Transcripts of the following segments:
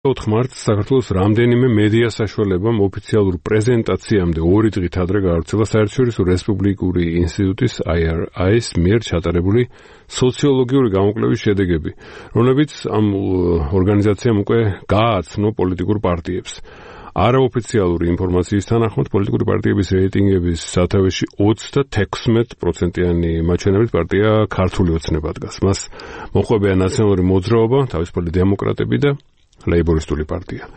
4 მარტს საქართველოს რამდენიმე მედია საშუალებამ ოფიციალურ პრეზენტაციამდე 2 დღით ადრე გაავრცელა საერთაშორისო რესპუბლიკური ინსტიტუტის IRI-ის მიერ ჩატარებული სოციოლოგიური გამოკვლევის შედეგები, რომლებიც ამ ორგანიზაციამ უკვე გააცნო პოლიტიკურ პარტიებს. არაოფიციალური ინფორმაციის თანახმად პოლიტიკური პარტიების რეიტინგების სათავეში 36%-იანი მაჩვენებლით პარტია ქართული ოცნება დგას. მას მოჰყვებიან ნაციონალური მოძრაობა, თავისუფალი დემოკრატები და ლეიბორისტული პარტია.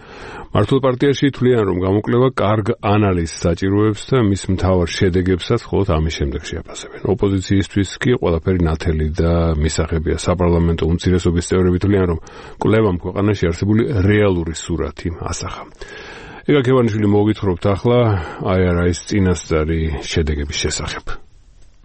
მართულ პარტიაში თვლიან, რომ გამოკვლევა კარგ ანალიზს საჭიროებს და მის მთავარ შედეგებსაც მხოლოდ ამის შემდეგ შეაფასებენ. ოპოზიციისთვის კი ყველაფერი ნათელი და მისაღებია. საპარლამენტო უმცირესობის წევრები თვლიან, რომ კვლევამ ქვეყანაში არსებული რეალური სურათი ასახა. ეკა ქევანიშვილი მოგითხრობთ ახლა IRI-ის წინასწარი შედეგების შესახებ.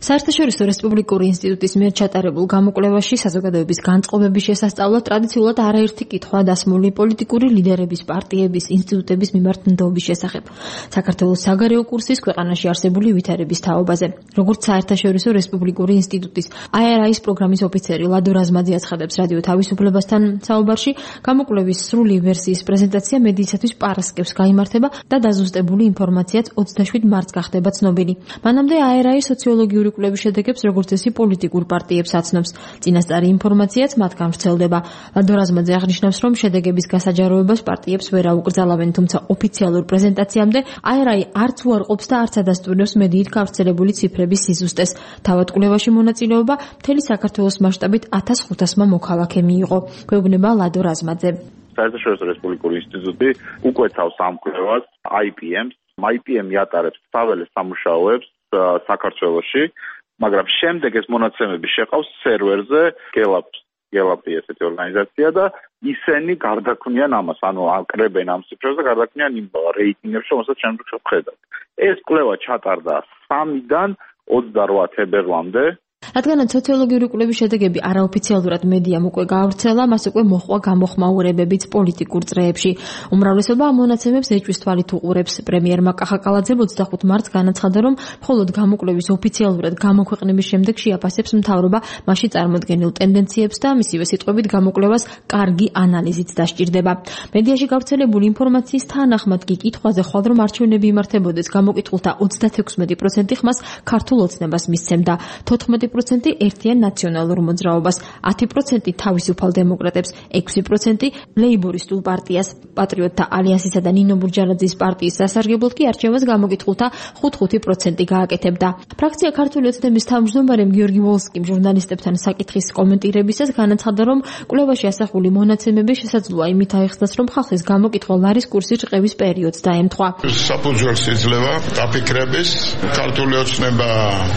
საერთაშორისო რესპუბლიკური ინსტიტუტის მიერ ჩატარებულ გამოკვლევაში საზოგადოების განწყობების შესასწავლად ტრადიციულად არაერთი კითხვა დასმული პოლიტიკური ლიდერების, პარტიების, ინსტიტუტების მიმართ ნდობის შესახებ. საქართველოს საგარეო კურსის ქვეყანაში არსებული ვითარების თაობაზე. როგორც საერთაშორისო რესპუბლიკური ინსტიტუტის IRI-ის პროგრამის ოფიცერი ლადო რაზმაძე აცხადებს რადიო თავისუფლებასთან საუბარში, გამოკვლევის სრული ვერსიის პრეზენტაცია მედიისათვის პარასკევს გაიმართება და დაზუსტებული ინფორმაციაც 27 მარტს გახდება ცნობილი. მანამდე IRI სოციოლოგიური კვლევის შედეგებს როგორც წესი პოლიტიკურ პარტიებს აცნობს. წინასწარი ინფორმაციაც მათგან ვრცელდება. ლადო რაზმაძე აღნიშნავს, რომ შედეგების გასაჯაროებას პარტიებს ვერ აუკრძალავენ, თუმცა ოფიციალურ პრეზენტაციამდე IRI არც უარყოფს და არც ადასტურებს მედიით გავრცელებული ციფრების სიზუსტეს. თავად კვლევაში მონაწილეობა მთელი საქართველოს მასშტაბით 1500-მა მოქალაქე მიიღო. გვეუბნება ლადო რაზმაძე. საერთაშორისო რესპუბლიკური ინსტიტუტი უკვეთავს ამ კვლევას IPM-ს. IPM-ი ატარებს საველე სამუშაოებს საქართველოში, მაგრამ შემდეგ ეს მონაცემები შეყავს სერვერზე გელაპი ესეთი ორგანიზაცია და ისინი გარდაქმნიან ამას, ანუ აკრებენ ამ ციფრებს და გარდაქმნიან იმ რეიტინგებს, რომელსაც შემდეგ შევხედავთ. ეს კვლევა ჩატარდა 3-დან 28 თებერვლამდე. რადგანაც სოციოლოგიური კვლევის შედეგები არაოფიციალურად მედიამ უკვე გაავრცელა, მას უკვე მოჰყვა გამოხმაურებებიც პოლიტიკურ წრეებში. უმრავლესობა ამ მონაცემებს ეჭვის თვალით უყურებს. პრემიერმა კახაკალაძემ 25 მარტს განაცხადა, რომ მხოლოდ გამოკვლევის ოფიციალურად გამოქვეყნების შემდეგ შეაფასებს მთავრობა მასში წარმოდგენილ ტენდენციებს და მისივე სიტყვებით გამოკვლევას კარგი ანალიზით დასჭირდება. მედიაში გავრცელებული ინფორმაციის თანახმად კი კითხვაზე ხვალ რომ არჩევნები იმართებოდეს, გამოკითხულთა 36% ხმას ქართულ ოცნებას მისცემდა. 14% ერთიან ნაციონალურ მოძრაობას, 10% თავისუფალ დემოკრატებს, 6% ლეიბორისტულ პარტიას, პატრიოტთა ალიანსისა და ნინო ბურჯალაძის პარტიის სასარგებლოდ კი არჩევას გამოკითხულთა 5% გააკეთებდა. ფრაქცია ქართული ოცნების თავმჯდომარემ გიორგი ვოლსკიმ ჟურნალისტებთან საკითხის კომენტირებისას განაცხადა, რომ კვლევაში ასახული მონაცემები შესაძლოა იმით აიხსნას, რომ ხალხის გამოკითხვა ლარის კურსის რყევის პერიოდს დაემთხვა. საფუძველს იძლევა დაფიქრების ქართული ოცნება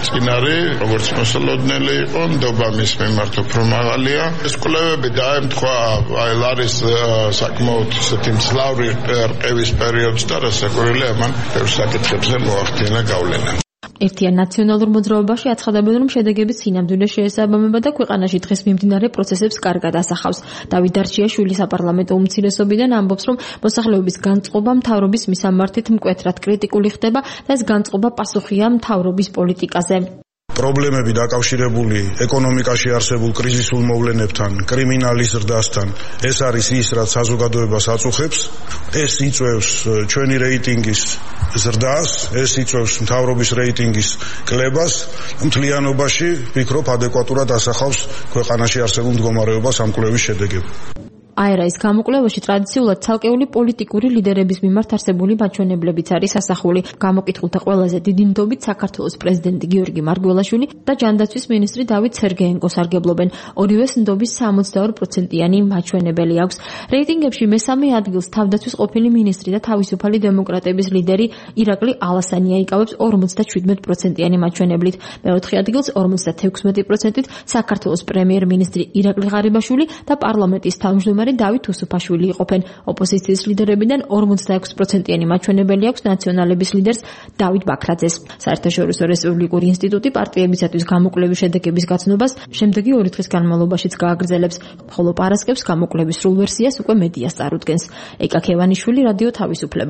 წინარე, როგორც მოსალოდნელი იყო, ნდობა მის მიმართ უფრო მაღალია. ეს კვლევები დაემთხვა ლარის საკმაოდ ისეთი მძლავრი რყევის პერიოდს და რასაკვირველია მან ბევრ საკითხებზე მოახდინა გავლენა. ერთიან ნაციონალურ მოძრაობაში აცხადებენ, რომ შედეგები სინამდვილეს შეესაბამება და ქვეყანაში დღეს მიმდინარე პროცესებს კარგად ასახავს. დავით დარჩიაშვილი საპარლამენტო უმცირესობიდან ამბობს, რომ მოსახლეობის განწყობა მთავრობის მისამართით მკვეთრად კრიტიკული ხდება და ეს განწყობა პასუხია მთავრობის პოლიტიკაზე. პრობლემები დაკავშირებული ეკონომიკაში არსებულ კრიზისულ მოვლენებთან, კრიმინალის ზრდასთან, ეს არის ის, რაც საზოგადოებას აწუხებს. ეს იწვევს ჩვენი რეიტინგის ზრდას, ეს იწვევს მთავრობის რეიტინგის კლებას. მთლიანობაში ვფიქრობ, ადეკვატურად ასახავს ქვეყანაში არსებულ მდგომარეობას ამ კვლევის შედეგები. IRI-ის გამოკვლევაში ტრადიციულად ცალკეული პოლიტიკური ლიდერების მიმართ არსებული მაჩვენებლებიც არის ასახული. გამოკითხულთა ყველაზე დიდი ნდობით საქართველოს პრეზიდენტი გიორგი მარგველაშვილი და ჯანდაცვის მინისტრი დავით სერგეენკო სარგებლობენ. ორივეს ნდობის 62%-იანი მაჩვენებელი აქვს. რეიტინგებში მესამე ადგილს თავდაცვის ყოფილი მინისტრი და თავისუფალი დემოკრატების ლიდერი ირაკლი ალასანია იკავებს 57%-იანი მაჩვენებლით. მეოთხე ადგილს 56%-ით საქართველოს პრემიერ-მინისტრი ირაკლი ღარიბაშვილი და პარლამენტის თავმჯდომარე დავით უსუფაშვილი იყოფენ. ოპოზიციის ლიდერებიდან 46%-იანი მაჩვენებელი აქვს ნაციონალების ლიდერს დავით ბაქრაძეს. საერთაშორისო რესპუბლიკური ინსტიტუტი პარტიებისათვის გამოკვლევის შედეგების გაცნობას შემდეგი 2 დღის განმავლობაშიც გააგრძელებს, ხოლო პარასკევს გამოკვლევის სრულ ვერსიას უკვე მედიას წარუდგენს. ეკა ქევანიშვილი, რადიო თავისუფლება.